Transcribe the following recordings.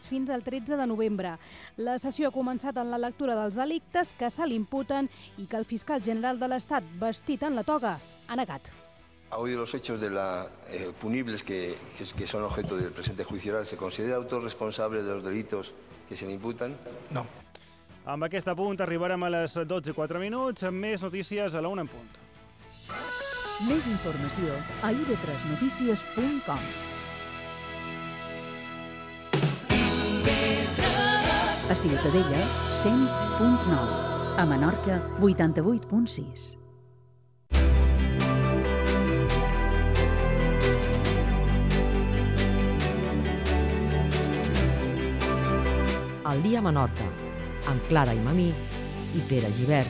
fins al 13 de novembre. La sessió ha començat en la lectura dels delictes que se l'imputen i que el fiscal general de l'Estat, vestit en la toga, ha negat. Ha oído los hechos punibles que son objeto del presente juicio oral. ¿Se considera autor responsable de los delitos que se le imputan? No. Amb aquest apunt arribarem a les 12:04, amb més notícies a la 1 en punt. Més informació a ib3notícies.com. A Ciutadella, 100.9. A Menorca, 88.6. El dia a Menorca, amb Clara Imamí i Pere Gibert.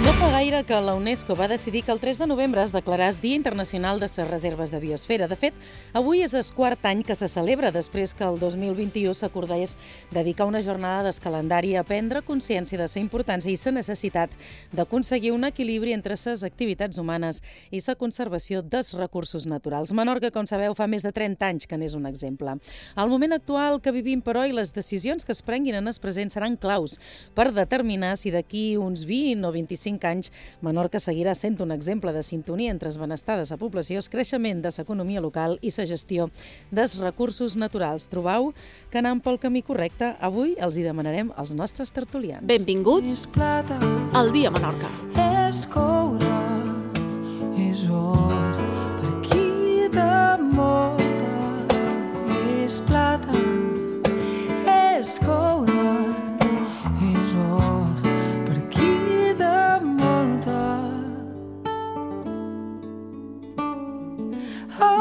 No fa gaire que la UNESCO va decidir que el 3 de novembre es declaràs Dia Internacional de les Reserves de Biosfera. De fet, avui és el quart any que se celebra després que el 2021 s'acordés dedicar una jornada d'escalendari a prendre consciència de la importància i la necessitat d'aconseguir un equilibri entre les activitats humanes i la conservació dels recursos naturals. Menorca, com sabeu, fa més de 30 anys que n'és un exemple. El moment actual que vivim, però, i les decisions que es prenguin en el present seran claus per determinar si d'aquí uns 20 o 25 anys Menorca seguirà sent un exemple de sintonia entre el benestar de la població, el creixement de l'economia local i la gestió dels recursos naturals. Trobau que anant pel camí correcte? Avui els hi demanarem als nostres tertulians. Benvinguts al Dia Menorca. És coure, és or, per qui de molta, és plata, és coure, és or, per qui de molta.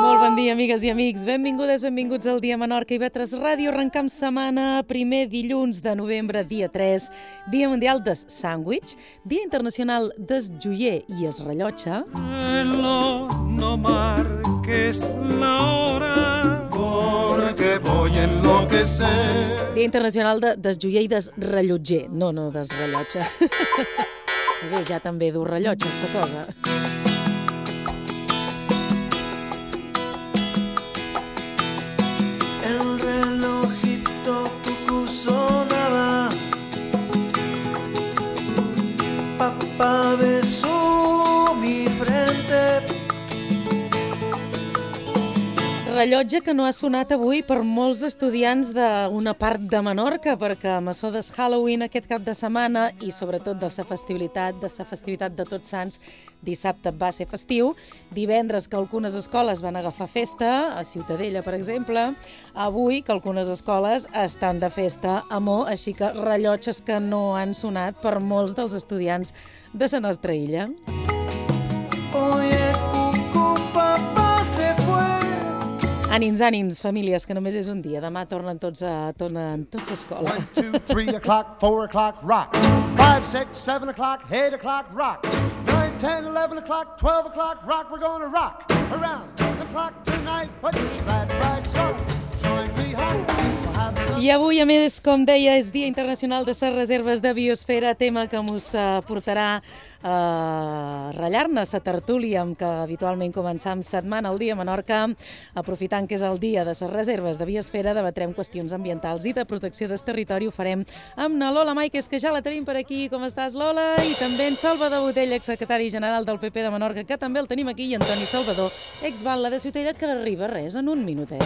Molt bon dia, amigues i amics. Benvingudes, benvinguts al Dia Menorca i IB3 Ràdio. Arrencam setmana, primer dilluns de novembre, dia 3, Dia Mundial del Sàndwich, Dia Internacional del Joier i el Rellotge. No marques la hora, porque voy a enloquecer. Dia Internacional del Joier i del Rellotger, no del rellotge. Bé, ja també dur rellotge, la cosa. El relojito cucú sonaba, papá besó mi frente. Rellotge que no ha sonat avui per molts estudiants d'una part de Menorca, perquè amb això del Halloween aquest cap de setmana i sobretot de la festivitat de Tots Sants, dissabte va ser festiu, divendres que algunes escoles van agafar festa, a Ciutadella per exemple, avui que algunes escoles estan de festa a Mo, així que rellotges que no han sonat per molts dels estudiants de la nostra illa. Oye, cucú, papá se fue. Ànims, famílies, que només és un dia. Demà tornen tots a escola. 1, 2, 3 o'clock, 4 o'clock, rock. 5, 6, 7 o'clock, 8 o'clock, rock. 9, 10, 11 o'clock, 12 o'clock, rock. We're gonna rock around the clock tonight. Put your glad rags on, join me home. I avui, a més, com deia, és Dia Internacional de les Reserves de Biosfera, tema que us portarà a ratllar-ne la tertúlia amb què habitualment començam setmana al Dia Menorca. Aprofitant que és el dia de les reserves de biosfera, debatrem qüestions ambientals i de protecció del territori. Ho farem amb na Lola Maiques, que ja la tenim per aquí. Com estàs, Lola? I també en Salvador Botella, exsecretari general del PP de Menorca, que també el tenim aquí, i Antoni Salvador, exbatlle de Ciutadella, que arriba res en un minutet.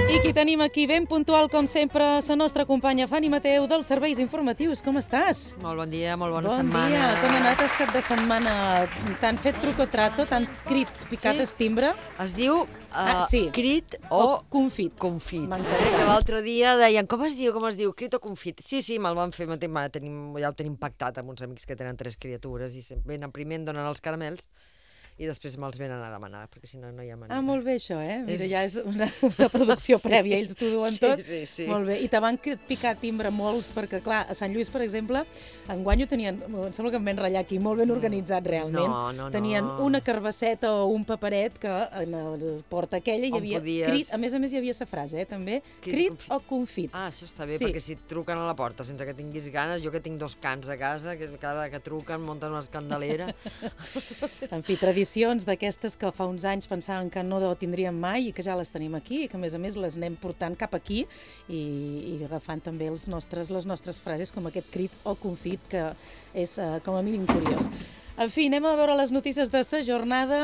I qui tenim aquí ben puntual, com sempre, la nostra companya Fanny Mateu, dels Serveis Informatius. Com estàs? Molt bon dia, molt bona Bon setmana. dia. Com ha anat el cap de setmana? T'han fet truc o trato? T'han crit picat el timbre? Es diu sí. crit o confit. Confit. M'entenc. Que l'altre dia deien, com es diu? Crit o confit? Sí, me'l van fer, ja ho tenim pactat amb uns amics que tenen 3 criatures i venen primer, em donen els caramels i després me'ls venen a demanar, perquè si no, no hi ha manera. Ah, molt bé això, Mira, ja és una producció prèvia, ells t'ho duen tot. Sí. Molt bé. I te van picar timbre molts, perquè clar, a Sant Lluís, per exemple, enguany ho tenien, em sembla que em van ratllar aquí, molt ben organitzat realment. No. Tenien una carbasseta o un paperet que en la porta aquella hi havia crit, a més hi havia la frase, també, crit o confit. Ah, això està bé, perquè si et truquen a la porta sense que tinguis ganes, jo que tinc 2 cans a casa, que cada que truquen munten una escandalera. En fi, tradicions d'aquestes que fa uns anys pensaven que no tindríem mai i que ja les tenim aquí i que a més les anem portant cap aquí i agafant també les nostres frases com aquest crit o confit que és com a mínim curiós. En fi, anem a veure les notícies de la jornada.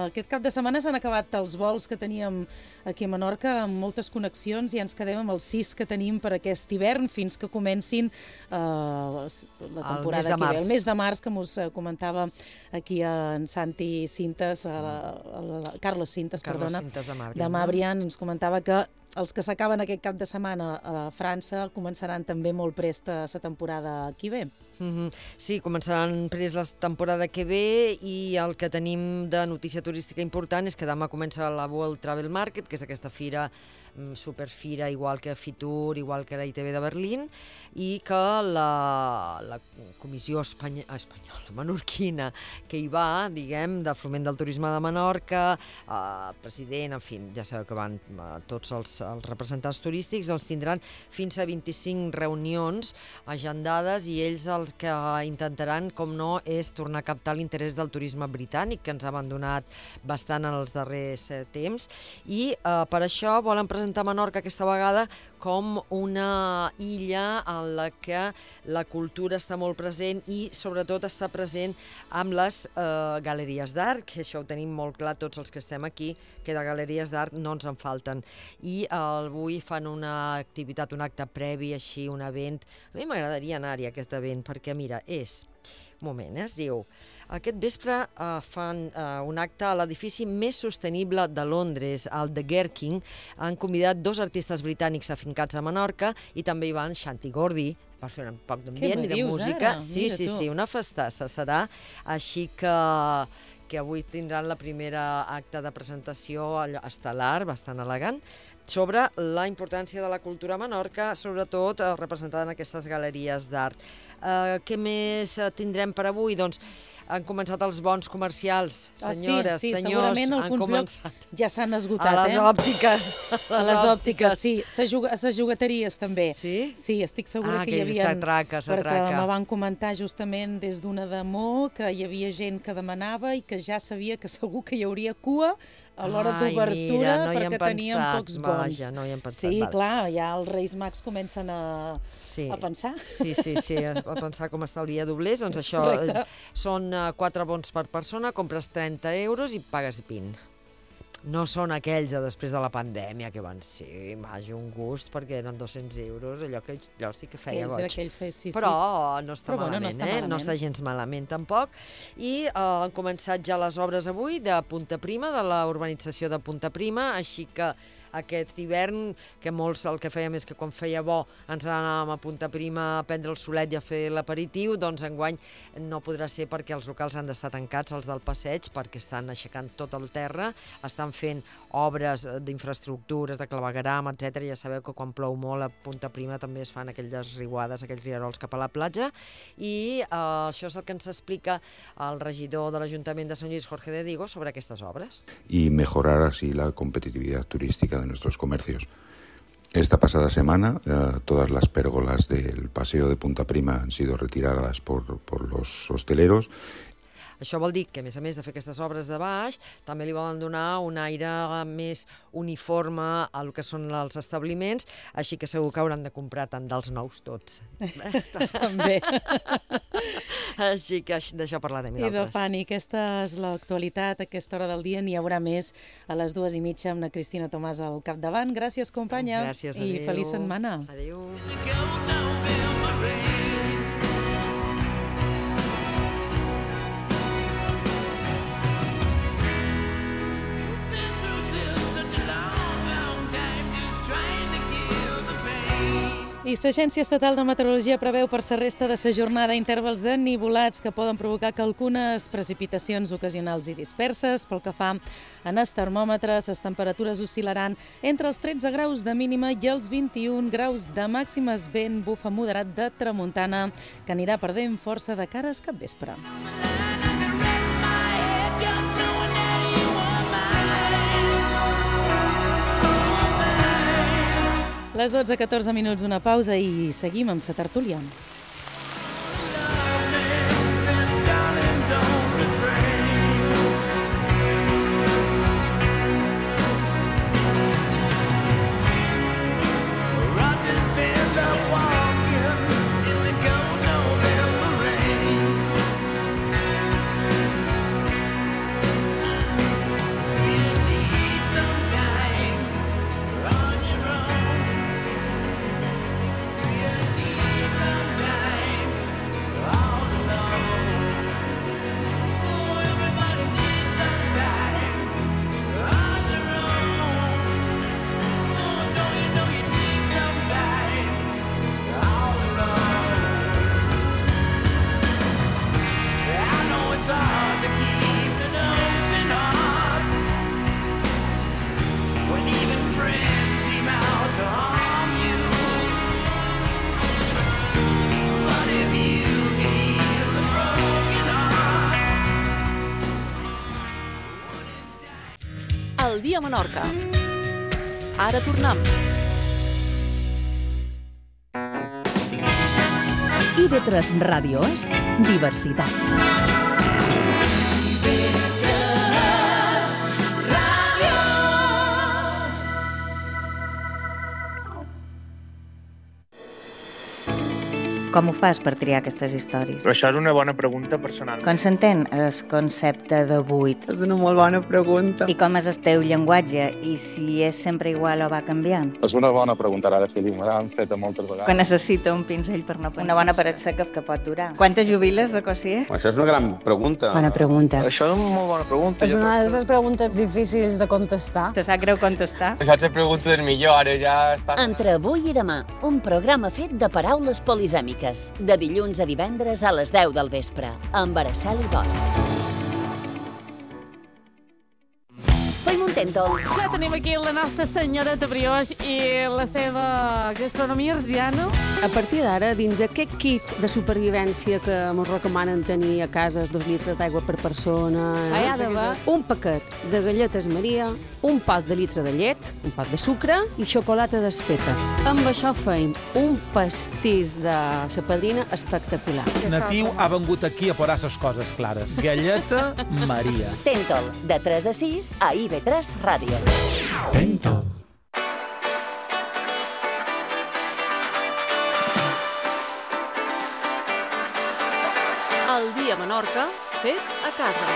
Aquest cap de setmana s'han acabat els vols que teníem aquí a Menorca amb moltes connexions i ens quedem amb els 6 que tenim per aquest hivern fins que comencin la temporada que ve. El mes de març, que us comentava aquí en Santi Cintas, Carlos Cintas, de Mabrian, ens comentava que els que s'acaben aquest cap de setmana a França començaran també molt prest a la temporada que ve. Sí, començaran prest la temporada que ve i el que tenim de notícia turística important és que demà comença la World Travel Market, que és aquesta fira, superfira, igual que Fitur, igual que la ITB de Berlín, i que la comissió espanyola, menorquina, que hi va, diguem, de foment del turisme de Menorca, president, en fi, ja sabeu que van tots els representants turístics, doncs tindran fins a 25 reunions agendades i ells els que intentaran, com no, és tornar a captar l'interès del turisme britànic, que ens ha abandonat bastant en els darrers temps, i per això volen presentar Menorca aquesta vegada com una illa en la que la cultura està molt present i sobretot està present amb les galeries d'art, que això ho tenim molt clar tots els que estem aquí, que de galeries d'art no ens en falten. I avui fan una activitat, un acte previ, així, un event. A mi m'agradaria anar-hi a aquest event, perquè mira, és... Un moment, es diu... Aquest vespre fan un acte a l'edifici més sostenible de Londres, el The Gherkin. Han convidat 2 artistes britànics afincats a Menorca i també hi van Shanti Gordy per fer un poc d'ambient i de música. Sí, una festassa serà. Així que avui tindran la primera acte de presentació estel·lar, bastant elegant, sobre la importància de la cultura a Menorca, sobretot representada en aquestes galeries d'art. Què més tindrem per avui? Doncs han començat els bons comercials, senyores, senyors. Segurament alguns llocs ja s'han esgotat. A les òptiques. A les òptiques, sí. A les jugateries també. Sí? Sí, estic segura que hi havia... S'atraca. Perquè me van comentar justament des d'una demó que hi havia gent que demanava i que ja sabia que segur que hi hauria cua a l'hora d'obertura perquè tenien pocs bons. Vaja, no hi hem pensat. Sí, clar, ja els Reis Mags comencen a pensar. Sí, a pensar com estalviar doblers. Doncs això, són 4 bons per persona, compres 30 euros i pagues 20. No són aquells de després de la pandèmia que van ser, un gust, perquè eren 200 euros, allò sí que feia goig. Però no està malament, no està gens malament tampoc. I han començat ja les obres avui de Punta Prima, de la urbanització de Punta Prima, així que aquest hivern, que molts el que fèiem és que quan feia bo ens anàvem a Punta Prima a prendre el solet i a fer l'aperitiu, doncs enguany no podrà ser perquè els locals han d'estar tancats, els del passeig, perquè estan aixecant tot el terra, estan fent obres d'infraestructures, de clavegueram, etc. Ja sabeu que quan plou molt a Punta Prima també es fan aquelles riuades, aquells rierols cap a la platja, i això és el que ens explica el regidor de l'Ajuntament de Sant Lluís, Jorge de Digo, sobre aquestes obres. I mejorar así la competitividad turística de nuestros comercios. Esta pasada semana todas las pérgolas del paseo de Punta Prima han sido retiradas por los hosteleros. Això vol dir que, a més de fer aquestes obres de baix, també li volen donar un aire més uniforme al que són els establiments, així que segur que hauran de comprar tant dels nous tots. També. Així que d'això parlarem i d'altres. I Fanny, aquesta és l'actualitat, a aquesta hora del dia n'hi haurà més a les 2:30 amb la Cristina Tomàs al capdavant. Gràcies, companya. Gràcies, adéu. I feliç setmana. Adéu. I l'Agència Estatal de Meteorologia preveu per la resta de la jornada intervals de nivolats que poden provocar que algunes precipitacions ocasionals i disperses. Pel que fa en els termòmetres, les temperatures oscil·laran entre els 13 graus de mínima i els 21 graus de màximes. Vent bufa moderat de tramuntana que anirà perdent força de cara al capvespre. Les 12:14 minuts, una pausa i seguim amb la tertúlia. El dia a Menorca. Ara tornem. IB3 Ràdio és diversitat. Com ho fas per triar aquestes històries? Però això és una bona pregunta personal. Com s'entén el concepte de buit? És una molt bona pregunta. I com és el teu llenguatge? I si és sempre igual o va canviant? És una bona pregunta, ara Felip, me l'han feta moltes vegades. Que necessita un pinzell per no pensar. Una bona paret seca que pot durar. Quantes jubiles de Cossier? Això és una gran pregunta. Bona pregunta. Això és una molt bona pregunta. És una de les preguntes difícils de contestar. Te sap greu contestar? Això és la pregunta del millor, ara ja està... Entre avui i demà, un programa fet de paraules polisèmiques. De dilluns a divendres a les 10 del vespre, amb Araceli Bosch. Ja tenim aquí la nostra senyoreta Brioix i la seva gastronomia arsiana. A partir d'ara, dins aquest kit de supervivència que ens recomanen tenir a casa 2 litres d'aigua per persona, hi ha d'haver un paquet de galletes Maria, un pot de litre de llet, un pot de sucre i xocolata desfeta. Amb això feim un pastís de la padrina espectacular. Natiu ha vengut aquí a posar les coses clares. Galleta Maria. Tentol, de 3 a 6 a IB3 Ràdio. Tentol. El dia a Menorca, fet a casa.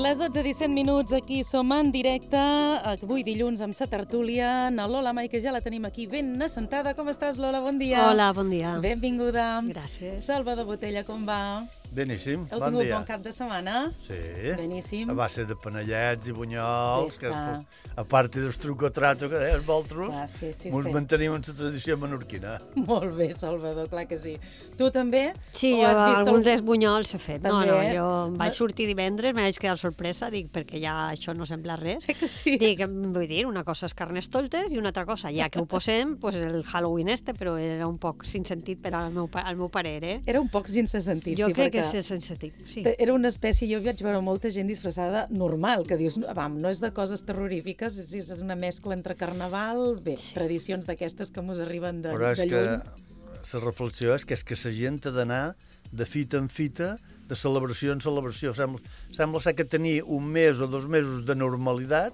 Les 12:17 minuts, aquí som en directe, avui dilluns amb sa tertúlia, na Lola Mai, que ja la tenim aquí ben assentada. Com estàs, Lola? Bon dia. Hola, bon dia. Benvinguda. Gràcies. Salvador Botella, com va? Beníssim, Heu bon tingut dia. bon cap de setmana? Sí. Beníssim. A base de panellets i bunyols, que a part del truco-trato que deies vosaltres, ens mantenim en la tradició menorquina. Molt bé, Salvador, clar que sí. Tu també? Sí, jo alguns dels bunyols he fet. No, jo vaig sortir divendres, me vaig quedar sorpresa, dic, perquè ja això no sembla res. Que sí. Dic, vull dir, una cosa és carnestoltes i una altra cosa, ja que ho posem, pues el Halloween però era un poc sin sentit per al meu parer, eh? Era un poc sense sentit, jo sí, crec perquè... que és sense sentit, sí. Era una espècie, jo vaig veure molta gent disfressada normal, que dius, no és de coses terrorífiques, és una mescla entre carnaval, tradicions d'aquestes que mos arriben de lluny. Però és que la reflexió és que la gent ha d'anar de fita en fita, de celebració en celebració. Sembla ser que tenir un mes o 2 mesos de normalitat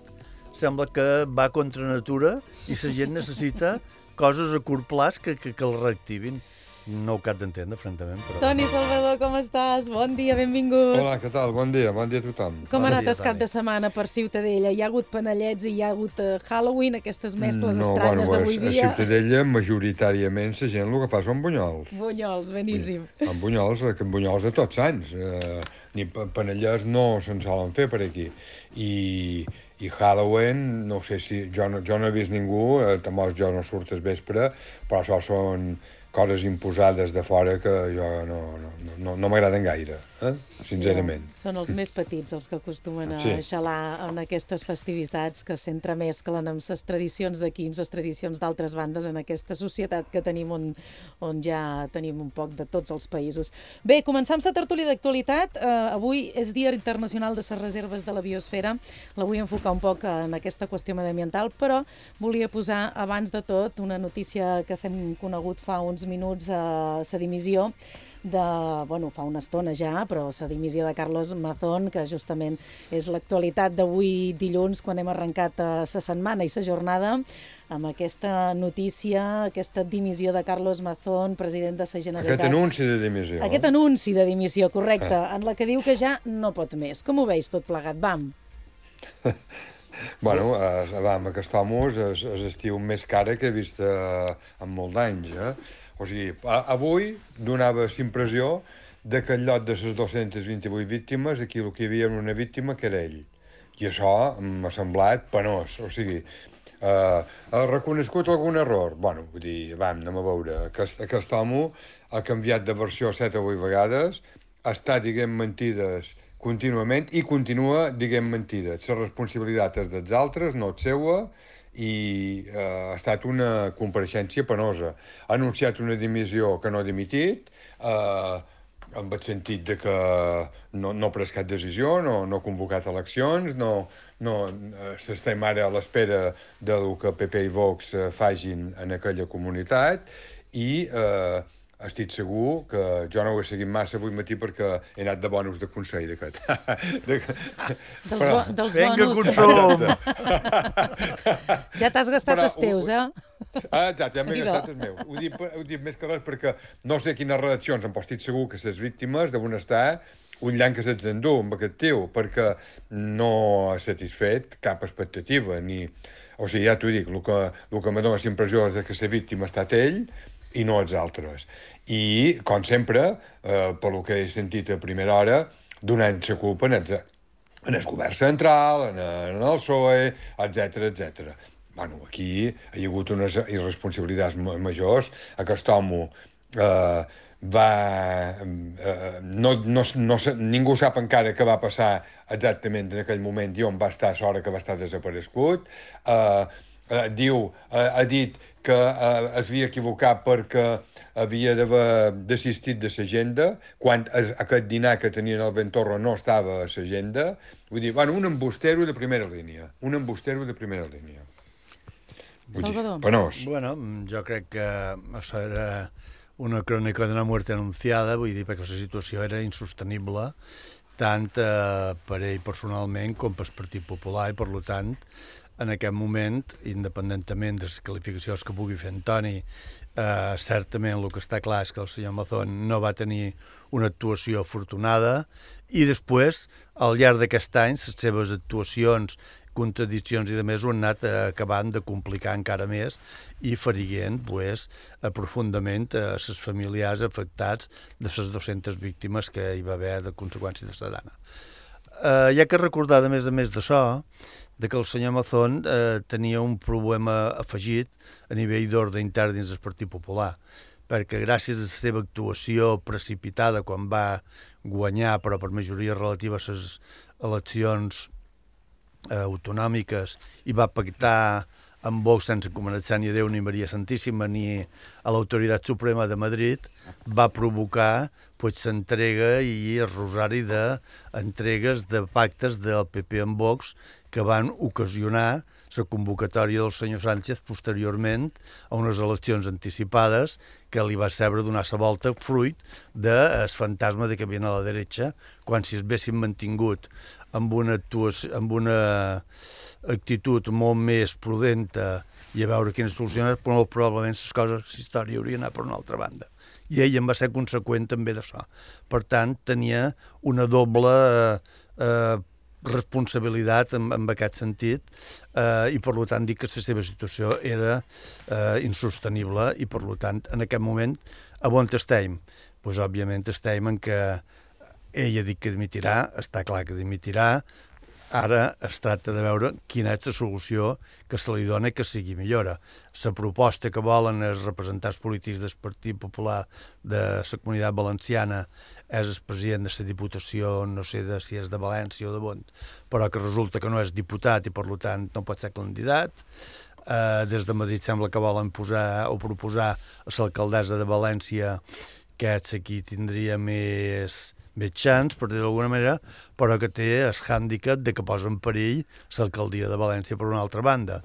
sembla que va contra natura i la gent necessita coses a curt plaç que el reactivin. no ho cap d'entendre, francament. Però... Toni Salvador, com estàs? Bon dia, benvingut. Hola, què tal? Bon dia a tothom. Com ha anat el cap de setmana per Ciutadella? Hi ha hagut panellets i hi ha hagut Halloween, aquestes mescles estranyes d'avui dia? A Ciutadella, majoritàriament, la gent el que fa són bunyols. Bunyols, beníssim. Amb bunyols de tots anys. Ni panellets no se'n solen fer per aquí. I Halloween, no sé si... Jo no he vist ningú, tampoc jo no surt al vespre, però això són coses imposades de fora que jo no m'agraden gaire, sincerament. Són els més petits els que acostumen a xalar en aquestes festivitats que s'entremesclen amb les tradicions d'aquí, amb les tradicions d'altres bandes en aquesta societat que tenim on ja tenim un poc de tots els països. Bé, començam la tertúlia d'actualitat. Avui és Dia Internacional de les Reserves de la Biosfera. La vull enfocar un poc en aquesta qüestió mediambiental, però volia posar abans de tot una notícia que s'hem conegut fa uns minuts, la dimissió fa una estona ja, però la dimissió de Carlos Mazón, que justament és l'actualitat d'avui dilluns, quan hem arrencat la setmana i la jornada, amb aquesta notícia, aquesta dimissió de Carlos Mazón, president de la Generalitat. Aquest anunci de dimissió. Aquest anunci de dimissió, correcte, en la que diu que ja no pot més. Com ho veus tot plegat? Vam! Bueno, aquest home és l'estiu més cara que he vist en molts d'anys. O sigui, avui donava la impressió que al lloc de les 228 víctimes, aquí el que hi havia una víctima que era ell. I això m'ha semblat penós. O sigui, ha reconegut algun error? Bueno, vull dir, anem a veure. Aquest home ha canviat de versió 7 o 8 vegades, està dient mentides contínuament i continua dient mentides. La responsabilitat és dels altres, no és seua, i ha estat una compareixença penosa. Ha anunciat una dimissió que no ha dimitit, en el sentit de que no ha pres cap decisió, no ha convocat eleccions, s'estem ara a l'espera del que PP i Vox facin en aquella comunitat, i estic segur que jo no ho he seguit massa avui matí perquè he anat de bonus de consell d'aquest. Dels bonus. Ja t'has gastat els teus, Ja m'he gastat els meus. Ho dic més que res perquè no sé quines reaccions, però estic segur que les víctimes deuen estar un llanc que se'ls endú amb aquest tio, perquè no ha satisfet cap expectativa. O sigui, ja t'ho dic, el que me dona la impressió és que la víctima ha estat ell i no els altres. I, com sempre, pel que he sentit a primera hora, donant la culpa en el govern central, en el PSOE, etc. Bueno, aquí hi ha hagut unes irresponsabilitats majors. Aquest home ningú sap encara què va passar exactament en aquell moment i on va estar a l'hora que va estar desaparegut. Ha dit que s'havia equivocat perquè havia d'haver desistit de l'agenda, quan aquest dinar que tenien al Ventorro no estava a l'agenda. Vull dir, un embustero de primera línia. Salvador. Penós. Bueno, jo crec que això era una crònica d'una muerte anunciada, vull dir, perquè la situació era insostenible, tant per ell personalment com pel Partit Popular, i per tant, en aquest moment, independentment de les qualificacions que pugui fer Antoni, certament el que està clar és que el senyor Mazón no va tenir una actuació afortunada, i després, al llarg d'aquest any, les seves actuacions, contradiccions i de més ho han anat acabant de complicar encara més i ferint profundament les familiars afectats de les 200 víctimes que hi va haver de conseqüència de la dana. Hi ha que recordar, a més d'això, que el senyor Mazón tenia un problema afegit a nivell d'ordre intern dins del Partit Popular, perquè gràcies a la seva actuació precipitada quan va guanyar, però per majoria relativa, les eleccions autonòmiques, i va pactar amb Vox sense començar ni a Déu ni Maria Santíssima ni a l'Autoritat Suprema de Madrid, va provocar l'entrega i el rosari d'entregues de pactes del PP amb Vox que van ocasionar la convocatòria del senyor Sánchez posteriorment a unes eleccions anticipades que li va saber donar la volta fruit del fantasma de que havien a la dreta, quan si es haguessin mantingut amb una actitud molt més prudenta i a veure quines solucions, però probablement les coses, la història hauria anat per una altra banda. i ell en va ser conseqüent també d'això. Per tant, tenia una doble responsabilitat en aquest sentit i per tant dic que la seva situació era insostenible i per tant en aquest moment a on estem? Doncs òbviament estem en que ell ha dit que dimitirà, està clar que dimitirà, ara es tracta de veure quina és la solució que se li dona i que sigui millora. La proposta que volen els representants polítics del Partit Popular de la Comunitat Valenciana és el president de la Diputació, no sé si és de València o de on, però que resulta que no és diputat i per tant no pot ser candidat. Des de Madrid sembla que volen posar o proposar a l'alcaldessa de València, que és qui tindria més chance, per dir-ho d'alguna manera, però que té el hàndicap de que posa en perill l'alcaldia de València per una altra banda.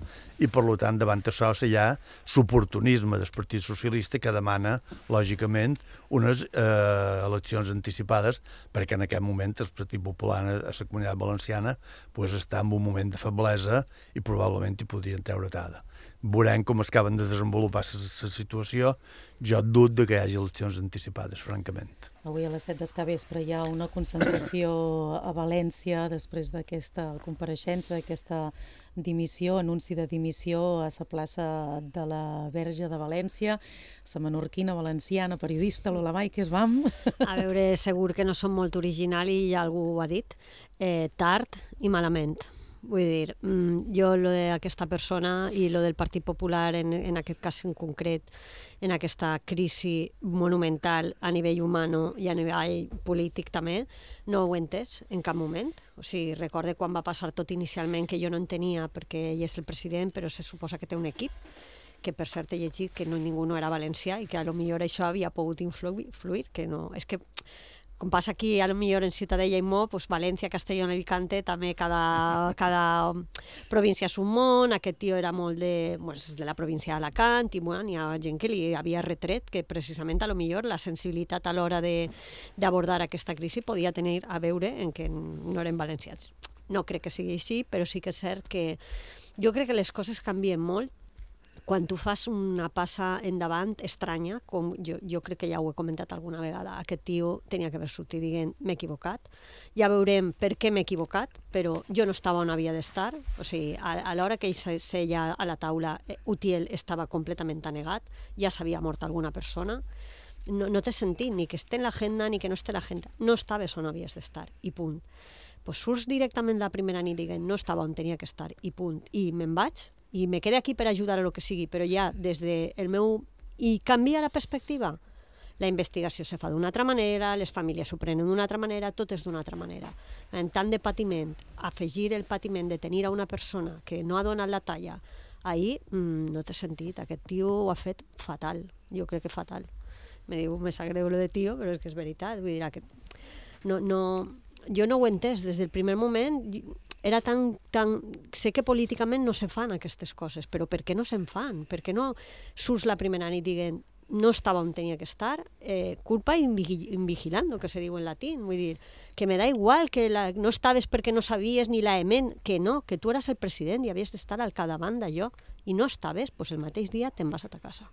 I, per tant, davant d'això hi ha l'oportunisme del Partit Socialista que demana, lògicament, unes eleccions anticipades, perquè en aquest moment el Partit Popular a la Comunitat Valenciana està en un moment de feblesa i probablement hi podrien treure tada. Veurem com es acaben de desenvolupar la situació. Jo dubto que hi hagi eleccions anticipades, francament. Avui a les 7 del vespre hi ha una concentració a València després d'aquesta compareixença, d'aquesta dimissió, anunci de dimissió a la plaça de la Verge de València. La menorquina valenciana, periodista Lola Mai, que es vam? A veure, segur que no som molt original i ja algú ho ha dit, tard i malament. Vull dir, jo lo d'aquesta persona i lo del Partit Popular en aquest cas en concret, en aquesta crisi monumental a nivell humano i a nivell polític també, no ho he entès en cap moment. O sigui, recorde quan va passar tot inicialment que jo no entenia perquè ell és el president, però se suposa que té un equip, que per cert he llegit que ningú no era valencià i que a lo millor això havia pogut influir, que no, és que com passa aquí, a lo millor en Ciutadella i Mo, pues València, Castelló i Alicante, també cada província és un món. Aquest tio era molt de la província d'Alacant i hi ha gent que li havia retret que precisament a lo millor la sensibilitat a l'hora d'abordar aquesta crisi podia tenir a veure en que no eren valencians. No crec que sigui així, però sí que és cert que jo crec que les coses canvien molt quan tu fas una passa endavant estranya, com jo crec que ja ho he comentat alguna vegada, aquest tio tenia que haver sortit dient m'he equivocat, ja veurem per què m'he equivocat, però jo no estava on havia d'estar, o sigui, a l'hora que ell seia a la taula, Utiel estava completament anegat, ja s'havia mort alguna persona, no té sentit ni que esté en l'agenda ni que no esté en l'agenda, no estaves on havies d'estar, i punt. Pues surts directament la primera nit dient no estava on tenia que estar, i punt, i me'n vaig, i me quedé aquí per ajudar a lo que sigui, però ja des del meu... I canvia la perspectiva. La investigació se fa d'una altra manera, les famílies s'ho prenen d'una altra manera, tot és d'una altra manera. En tant de patiment, afegir el patiment de tenir a una persona que no ha donat la talla, ahir no té sentit, aquest tio ho ha fet fatal, jo crec que fatal. Me sap greu lo de tio, però és que és veritat, vull dir que... jo no ho he entès des del primer moment, era tan... Sé que políticament no se fan aquestes coses, però per què no se'n fan? Per què no surts la primera nit dient no estava on tenia que estar? Culpa invigilando, que se diu en latín. Vull dir, que me da igual que no estaves perquè no sabies ni la emen, que no, que tu eres el president i havies d'estar al capdavant d'allò, i no estaves, doncs el mateix dia te'n vas a ta casa.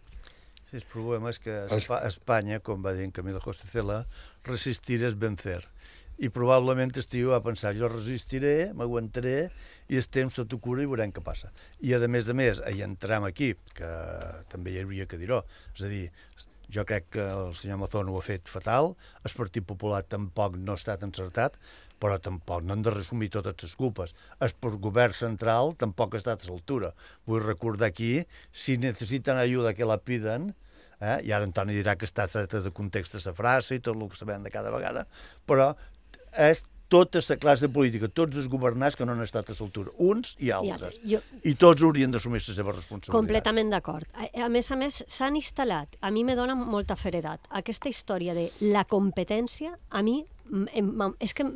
Sí, el problema és que Espanya, com va dir en Camilo José Cela, resistir és vencer. I probablement el tio va pensar, jo resistiré, m'aguantaré, i el temps sota cura i veurem què passa. I a més, hi entrem aquí, que també hi hauria que dir-ho. És a dir, jo crec que el senyor Mazón ho ha fet fatal, el Partit Popular tampoc no ha estat encertat, però tampoc no han de resumir totes les culpes. El govern central tampoc ha estat a l'altura. Vull recordar aquí, si necessiten ajuda que la piden, i ara Antoni dirà que està treta de context de la frase i tot el que sabem de cada vegada, però és tota la classe política, tots els governants que no han estat a l'altura, uns i altres. I tots haurien d'assumir la seva responsabilitat. Completament d'acord. A més, s'han instal·lat, a mi me dona molta feredat, aquesta història de la competència, a mi és que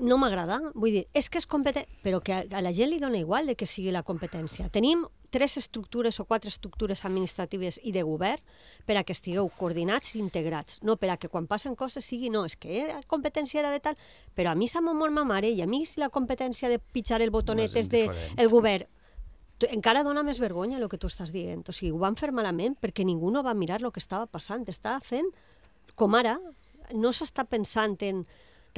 no m'agrada, vull dir, és que és competent, però que a la gent li dona igual de que sigui la competència. Tenim 3 estructures o 4 estructures administratives i de govern per a que estigueu coordinats i integrats, no per a que quan passen coses sigui, no, és que la competència era de tal, però a mi s'ha mort ma mare i a mi si la competència de pitjar el botonet és del govern, encara dona més vergonya el que tu estàs dient. O sigui, ho van fer malament perquè ningú no va mirar el que estava passant. Estava fent, com ara, no s'està pensant en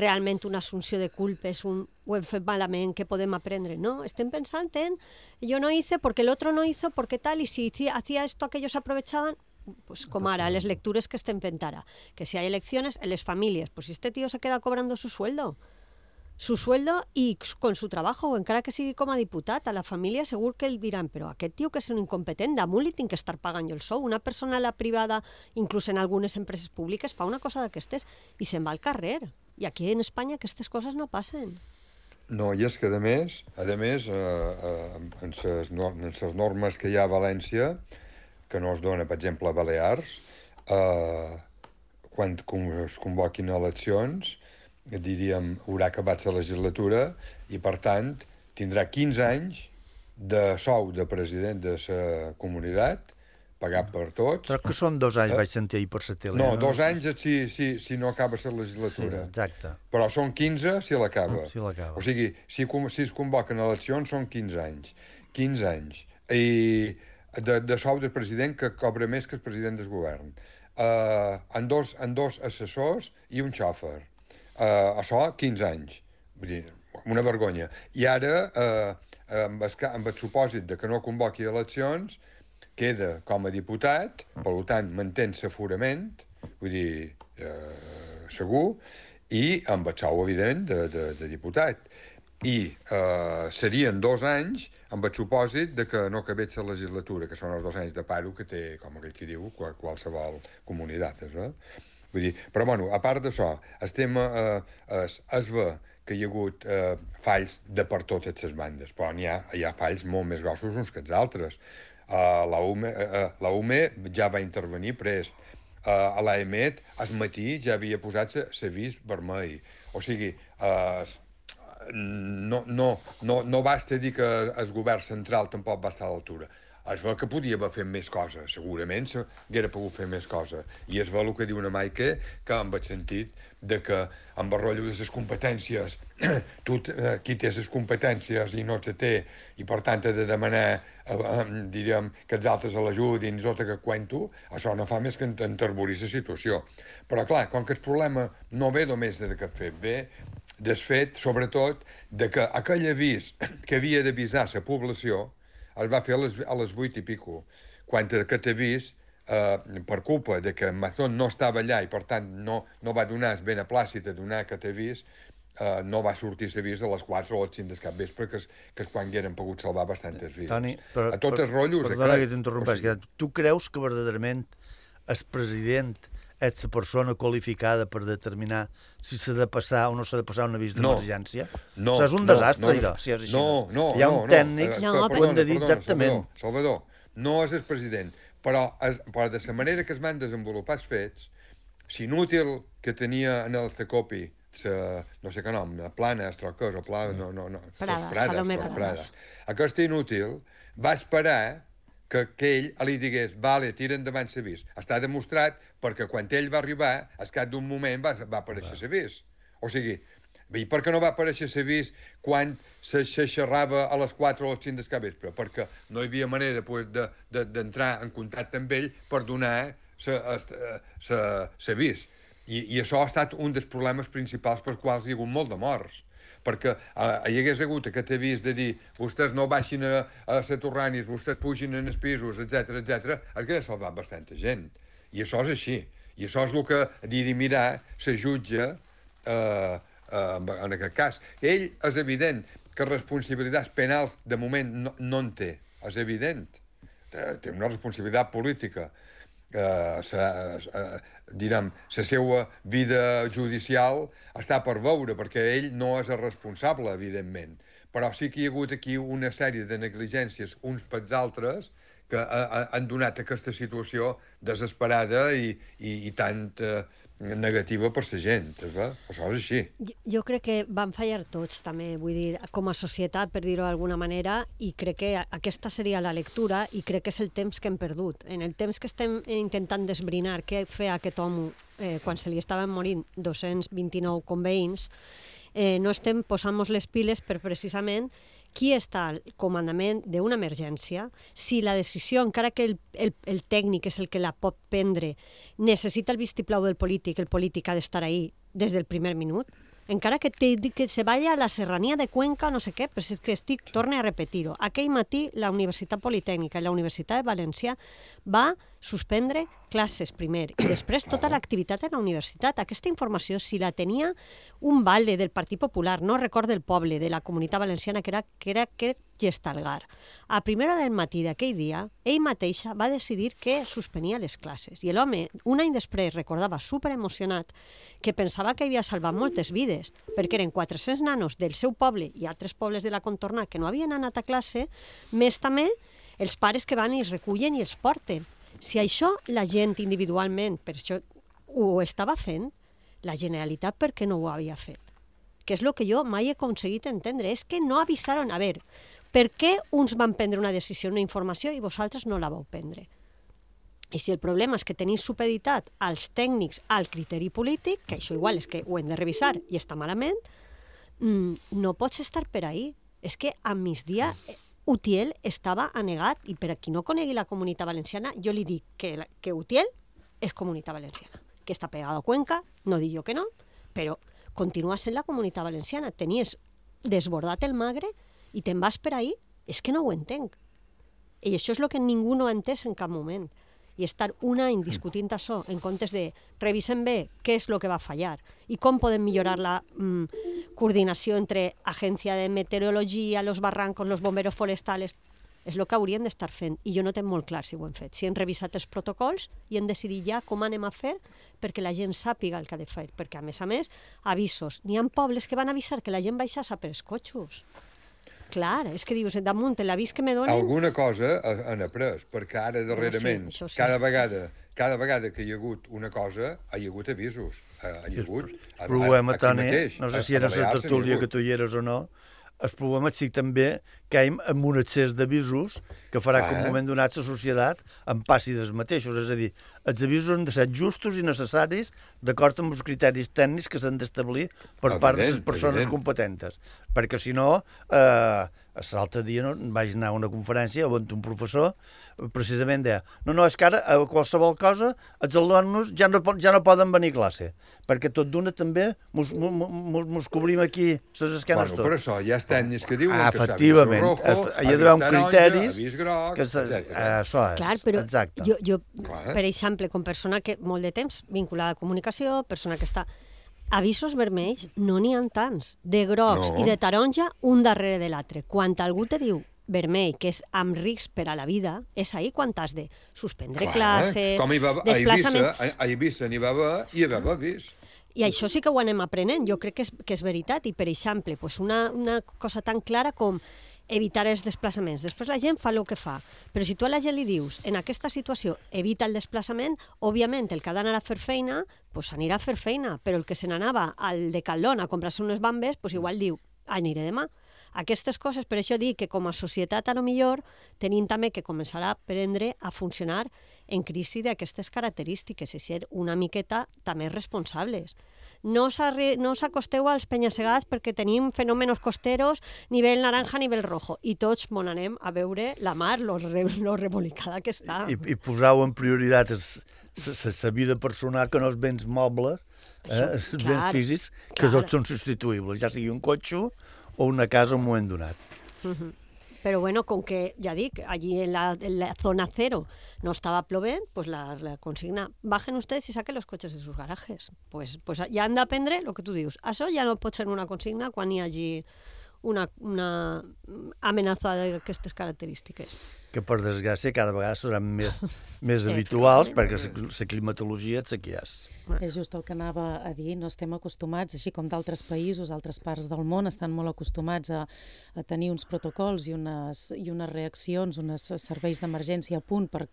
realment una assumpció de culpes, ho hem fet malament, què podem aprendre. No, estem pensant en yo no hice porque el otro no hizo, porque tal, y si hacía esto, aquellos aprovechaban. Pues como ara, les lectures que estem fent ara. Que si hay elecciones, en les famílies, pues si este tío se queda cobrando su sueldo y con su trabajo, o encara que sigui com a diputat, a la família segur que el diran, però aquest tio que és un incompetent, damunt li tinc que estar pagant jo el sou. Una persona a la privada, inclús en algunes empreses públiques, fa una cosa d'aquestes i se'n va al carrer. I aquí en Espanya aquestes coses no passen. No, i és que, a més, en les normes que hi ha a València, que no es dona, per exemple, a Balears, quan es convoquin eleccions, diríem, haurà acabat la legislatura i, per tant, tindrà 15 anys de sou de president de la comunitat, pagat per tots. Però que són 2 anys, vaig sentir ahir per la tele. No, 2 anys si no acaba la legislatura. Sí, exacte. Però són 15 si l'acaba. Si l'acaba. O sigui, si es convoquen eleccions són 15 anys. 15 anys. I de sou del president que cobra més que el president del govern. En dos assessors i un xòfer. Això, 15 anys. Vull dir, una vergonya. I ara, amb el supòsit de que no convoqui eleccions, queda com a diputat, per tant, mantén l'aforament, vull dir, segur, i amb el sou evident de diputat. I serien 2 anys amb el supòsit de que no acabés la legislatura, que són els 2 anys de paro que té, com aquell que diu, qualsevol comunitat. Vull dir, però, bueno, a part d'això, el tema es ve que hi ha hagut falls de per totes les bandes, però hi ha falls molt més grossos uns que els altres. La UME ja va intervenir prest. A l'AEMET, al matí, ja havia posat l'avís vermell. O sigui, no basta dir que el govern central tampoc va estar a l'altura. Es veu que podia haver fet més coses, segurament s'hauria pogut fer més coses. I es veu el que diu una Maike, que amb el sentit de que amb el rotllo de les competències, qui té les competències i no se té, i per tant ha de demanar, diríem, que els altres l'ajudin i tot aquest cuento, això no fa més que enterborir la situació. Però clar, com que el problema no ve només d'aquest fet, ve del fet, sobretot, de que aquell avís que havia d'avisar la població es va fer a les 8 i pico, quan aquest avís, per culpa de que Mazón no estava allà i per tant no va donar el beneplàcit a donar aquest avís, no va sortir l'avís a les 4 o les 5 del capvespre, que és quan hagueren pogut salvar bastantes vides. Toni, a tots els rotllos... Perdona que t'interrompeix, tu creus que verdaderament el president és la persona qualificada per determinar si s'ha de passar o no s'ha de passar un avís d'emergència? No. És un desastre, allò, si és així. No. Hi ha un tècnic que ho hem de dir exactament. Salvador, no és el president, però de la manera que es van desenvolupar els fets, l'inútil que tenia en el CECOPI, no sé què nom, Plana, Estroques o Plana, Salomé Prades. Aquest inútil va esperar que ell li digués, vale, tira endavant l'avís. Està demostrat perquè quan ell va arribar, al cap d'un moment va aparèixer l'avís. O sigui, i per què no va aparèixer l'avís quan se xerrava a les 4 o les 5 del capvespre? Perquè no hi havia manera d'entrar en contacte amb ell per donar l'avís. I això ha estat un dels problemes principals pels quals hi ha hagut molt de morts. Perquè hi hagués hagut aquest avís de dir vostès no baixin a Saturranis, vostès pugin en els pisos, etc, hauria salvat bastanta gent. I això és així. I això és el que dirimirà la jutge en aquest cas. Ell és evident que responsabilitats penals de moment no en té. És evident. Té una responsabilitat política. Direm, la seva vida judicial està per veure, perquè ell no és el responsable, evidentment. Però sí que hi ha hagut aquí una sèrie de negligències uns pels altres que han donat aquesta situació desesperada i tant negativa per la gent. Això és així. Jo crec que van fallar tots, també, vull dir, com a societat, per dir-ho d'alguna manera, i crec que aquesta seria la lectura, i crec que és el temps que hem perdut. En el temps que estem intentant desbrinar què feia aquest home quan se li estaven morint 229 conveïns, no estem posant-nos les piles per precisament qui està al comandament d'una emergència, si la decisió, encara que el tècnic és el que la pot prendre, necessita el vistiplau del polític, el polític ha d'estar ahí des del primer minut, encara que se vaya a la serranía de Cuenca o no sé què, però és que torne a repetir-ho. Aquell matí la Universitat Politècnica i la Universitat de València va suspendre classes primer i després tota l'activitat en la universitat. Aquesta informació, si la tenia un vale del Partit Popular, no recordo el poble, de la Comunitat Valenciana, que era aquest Gestalgar, a primera hora del matí d'aquell dia, ell mateixa va decidir que suspenia les classes. I l'home, un any després, recordava superemocionat que pensava que havia salvat moltes vides, perquè eren 400 nanos del seu poble i altres pobles de la contorna que no havien anat a classe, més també els pares que van i els recullen i els porten. Si això la gent individualment, per això ho estava fent, la Generalitat per què no ho havia fet? Que és el que jo mai he aconseguit entendre, és que no avisaron. A veure, per què uns van prendre una decisió, una informació, i vosaltres no la vau prendre? I si el problema és que teniu supeditat als tècnics al criteri polític, que això igual és que ho hem de revisar i està malament, no pots estar per ahí. És que a migdia Utiel estava anegat, i per a qui no conegui la Comunitat Valenciana, jo li dic que Utiel és Comunitat Valenciana, que està pegada a Cuenca, no dic jo que no, però continua sent la Comunitat Valenciana. Tenies desbordat el Magre i te'n vas per ahí, és que no ho entenc. I això és el que ningú no ha entès en cap moment. I estar un any discutint això en comptes de revisem bé què és el que va fallar i com podem millorar la coordinació entre Agència de Meteorologia, los barrancos, los bomberos forestales, és el que haurien d'estar fent. I jo no tinc molt clar si ho hem fet. Si hem revisat els protocols i hem decidit ja com anem a fer perquè la gent sàpiga el que ha de fer. Perquè, a més, avisos. N'hi ha pobles que van avisar que la gent baixava per els cotxos. Clar, és que dius, damunt l'avís que me donen... Alguna cosa han après, perquè ara darrerament, sí. cada vegada que hi ha hagut una cosa, hi ha hagut avisos. Hi ha hagut... El problema, Toni, no sé si era la tertúlia que tu hi eres o no, el problema és també que hi ha un excés d'avisos que farà que en un moment donat la societat en passi dels mateixos. És a dir, els avisos han de ser justos i necessaris d'acord amb els criteris tècnics que s'han d'establir per part de les persones competentes. Perquè si no, l'altre dia vaig anar a una conferència on un professor precisament deia és que ara a qualsevol cosa els alumnes ja no poden venir a classe, perquè tot d'una també mos cobrim aquí les esquenes tot. Per això hi ha tècnics que diuen que efectivament, hi ha d'haver un criteris avís groc, això és, clar, però exacte. Jo, per exemple, com persona que molt de temps vinculada a comunicació, persona que està... Avisos vermells no n'hi ha tants. De grocs i de taronja, un darrere de l'altre. Quan algú te diu vermell, que és amb risc per a la vida, és ahir quan has de suspendre classes, desplaçaments... A Eivissa n'hi va haver i hi va haver avís. I això sí que ho anem aprenent, jo crec que és veritat. I, per exemple, una cosa tan clara com evitar els desplaçaments. Després la gent fa el que fa. Però si tu a la gent li dius, en aquesta situació, evita el desplaçament, òbviament el que ha d'anar a fer feina, doncs anirà a fer feina. Però el que se n'anava al Decathlon a comprar-se unes bambes, doncs igual diu, aniré demà. Aquestes coses, per això dic que com a societat, a lo millor, tenim també que començar a aprendre a funcionar en crisi d'aquestes característiques i ser una miqueta també responsables. No us acosteu als penya-segats perquè tenim fenòmenos costeros nivell naranja, nivell rojo, i tots mon anem a veure la mar, lo rebolicada que està. I posau en prioritat la vida personal que no els béns mobles, els béns físics, que tots són substituïbles, ja sigui un cotxe o una casa en un moment donat. Però bueno, com que, ja dic, allí en la zona cero no estava plovent, pues la consigna, bajen ustedes y saquen los coches de sus garajes. Pues ja han d'aprendre el que tu dius. Això ja no pot ser una consigna quan hi hagi una amenaça d'aquestes característiques. Que per desgràcia cada vegada seran més habituals perquè la climatologia és la que és. És just el que anava a dir, no estem acostumats, així com d'altres països, altres parts del món estan molt acostumats a tenir uns protocols i unes reaccions, uns serveis d'emergència a punt per